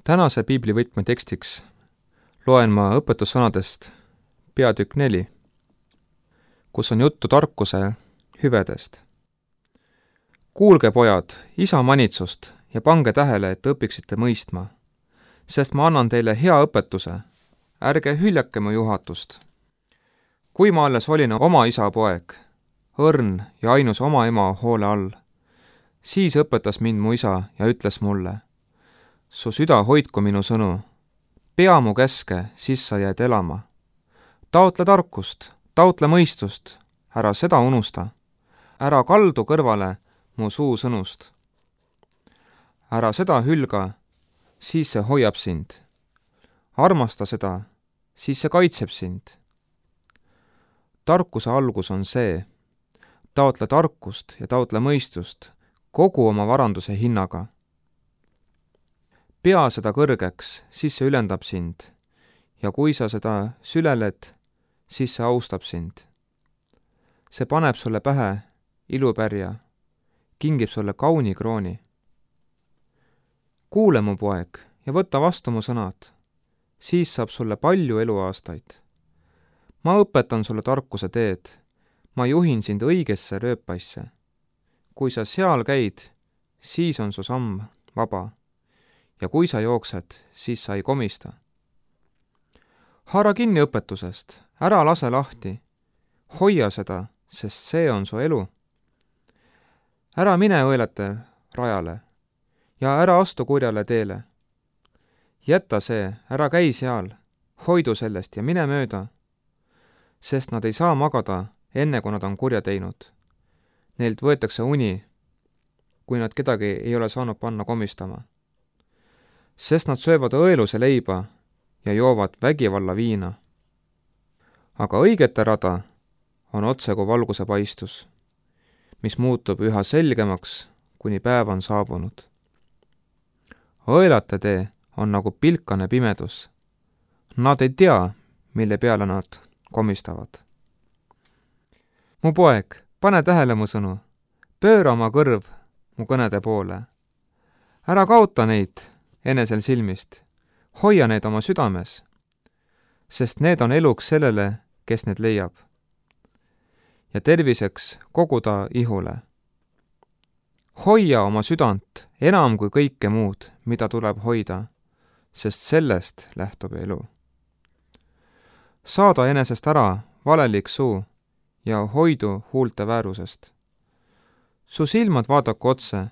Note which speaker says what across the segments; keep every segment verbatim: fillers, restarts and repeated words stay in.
Speaker 1: Tänase piiblivõtme tekstiks loen ma õpetussõnadest peatükk neli, kus on juttu tarkuse hüvedest. Kuulge, pojad, isa manitsust ja pange tähele, et õpiksite mõistma, sest ma annan teile hea õpetuse, ärge hüljake mu juhatust. Kui ma alles olin oma isa poeg, õrn ja ainus oma ema hoole all, siis õpetas mind mu isa ja ütles mulle, su süda hoidku minu sõnu, pea mu käske, siis sa jääd elama. Taotle tarkust, taotle mõistust, ära seda unusta, ära kaldu kõrvale mu suu sõnust. Ära seda hülga, siis see hoiab sind. Armasta seda, siis see kaitseb sind. Tarkuse algus on see, taotle tarkust ja taotle mõistust kogu oma varanduse hinnaga. Pea seda kõrgeks, siis see ülendab sind, ja kui sa seda süleled, siis see austab sind. See paneb sulle pähe ilupärja, kingib sulle kauni krooni. Kuule, mu poeg, ja võta vastu mu sõnad, siis saab sulle palju eluaastaid. Ma õpetan sulle tarkuse teed, ma juhin sind õigesse rööpaisse. Kui sa seal käid, siis on su samm vaba. Ja kui sa jooksed, siis sa ei komista. Haara kinni õpetusest, ära lase lahti. Hoia seda, sest see on su elu. Ära mine õelate rajale ja ära astu kurjale teele. Jäta see, ära käi seal, hoidu sellest ja mine mööda, sest nad ei saa magada enne, kui nad on kurja teinud. Neilt võetakse uni, kui nad kedagi ei ole saanud panna komistama. Sest nad söövad õeluse leiba ja joovad vägivalla viina. Aga õigete rada on otse kui valguse paistus, mis muutub üha selgemaks, kuni päev on saabunud. Õelate tee on nagu pilkane pimedus. Nad ei tea, mille peale nad komistavad. Mu poeg, pane tähele mu sõnu, pööra oma kõrv mu kõnede poole. Ära kaota neid enesel silmist, hoia need oma südames, sest need on eluks sellele, kes need leiab, ja terviseks kogu ta ihule. Hoia oma südant enam kui kõike muud, mida tuleb hoida, sest sellest lähtub elu. Saada enesest ära valelik suu ja hoidu huulte väärusest. Su silmad vaadaku otse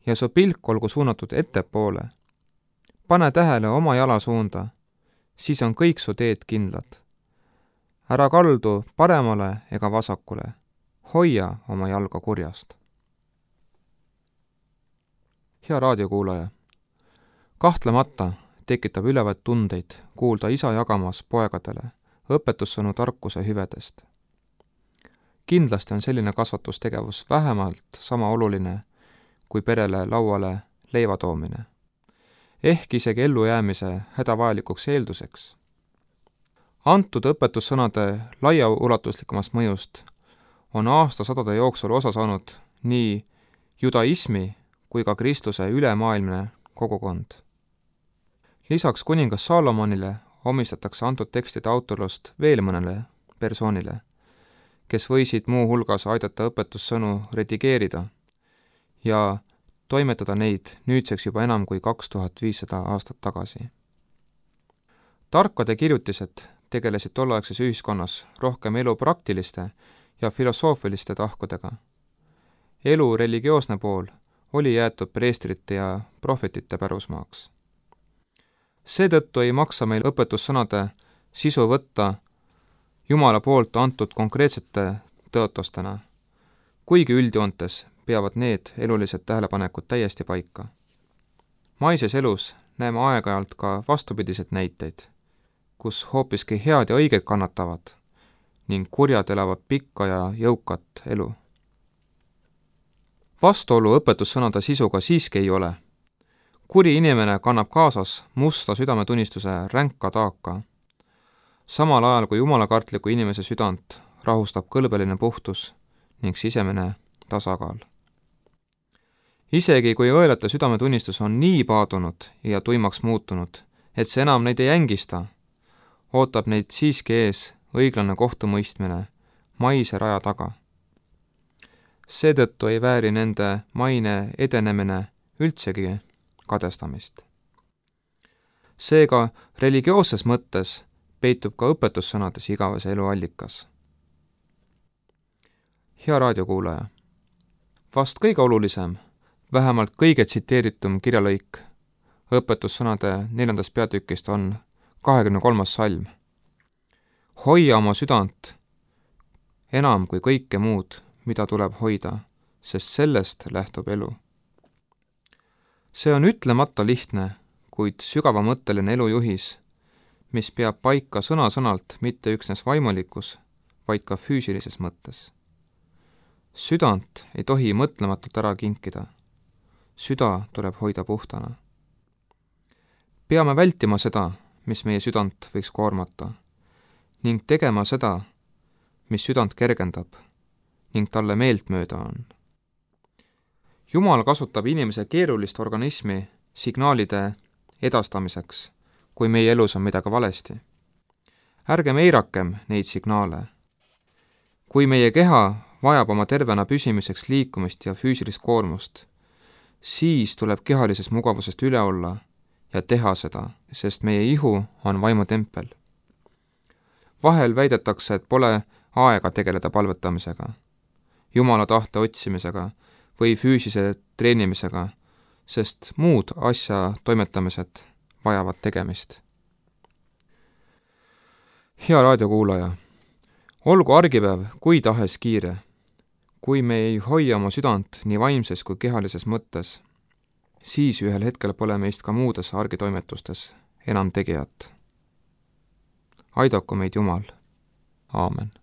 Speaker 1: ja su pilk olgu suunatud ettepoole. Pane tähele oma jala suunda, siis on kõik su teed kindlad. Ära kaldu paremale ega vasakule, hoia oma jalga kurjast. Hea raadiokuulaja, kahtlemata tekitab ülevat tundeid kuulda isa jagamas poegadele õpetussõnu tarkuse hüvedest. Kindlasti on selline kasvatustegevus vähemalt sama oluline kui perele lauale leiva toomine, ehk isegi ellujäämise hädavajalikuks eelduseks. Antud õpetussõnade laiaulatuslikumast mõjust on aastasadade jooksul osa saanud nii judaismi kui ka Kristuse ülemaailmne kogukond. Lisaks kuningas Saalomonile omistatakse antud tekstide autorlust veel mõnele persoonile, kes võisid muu hulgas aidata õpetussõnu redigeerida ja toimetada neid nüüdseks juba enam kui kaks tuhat viissada aastat tagasi. Tarkade kirjutised tegelesid tolleaegses ühiskonnas rohkem elu praktiliste ja filosoofiliste tahkudega. Elu religioosne pool oli jäetud preestrite ja prohvetite pärusmaaks. Seetõttu ei maksa meil õpetussõnade sisu võtta Jumala poolt antud konkreetsete tõotustena, kuigi üldjoontes peavad need elulised tähelepanekud täiesti paika. Maises elus näeme aeg-ajalt ka vastupidised näiteid, kus hoopiski head ja õiged kannatavad ning kurjad elavad pikka ja jõukat elu. Vastuolu õpetussõnade sisuga siiski ei ole. Kuri inimene kannab kaasas musta südametunnistuse ränka taaka, samal ajal kui jumalakartliku inimese südant rahustab kõlbeline puhtus ning sisemine tasakaal. isegi kui õelate südametunnistus on nii paadunud ja tuimaks muutunud, et see enam neid ei ängista, ootab neid siiski ees õiglane kohtumõistmine maise raja taga. Seetõttu ei vääri nende maine edenemine üldsegi kadestamist. Seega religioosses mõttes peitub ka õpetussõnades igavese elu allikas. Hea raadiokuulaja, vast kõige olulisem, vähemalt kõige tsiteeritum kirjalõik õpetussõnade neljandast peatükist on kahekümne kolmas salm. Hoia oma südant enam kui kõike muud, mida tuleb hoida, sest sellest lähtub elu. See on ütlemata lihtne, kuid sügavamõtteline elujuhis, mis peab paika sõna-sõnalt mitte üksnes vaimulikus, vaid ka füüsilises mõttes. Südant ei tohi mõtlematult ära kinkida. Süda tuleb hoida puhtana. Peame vältima seda, mis meie südant võiks koormata, ning tegema seda, mis südant kergendab ning talle meeltmööda on. Jumal kasutab inimese keerulist organismi signaalide edastamiseks, kui meie elus on midagi valesti. Ärgem eirakem neid signaale. Kui meie keha vajab oma tervena püsimiseks liikumist ja füüsilist koormust, siis tuleb kehalisest mugavusest üle olla ja teha seda, sest meie ihu on vaimutempel. Vahel väidetakse, et pole aega tegeleda palvetamisega, Jumala tahte otsimisega või füüsise treenimisega, sest muud asja toimetamised vajavad tegemist. Hea raadiokuulaja, olgu argipäev kui tahes kiire, kui me ei hoia oma südant nii vaimses kui kehalises mõttes, siis ühel hetkel pole meist ka muudes argitoimetustes enam tegijat. Aidaku meid Jumal. Aamen.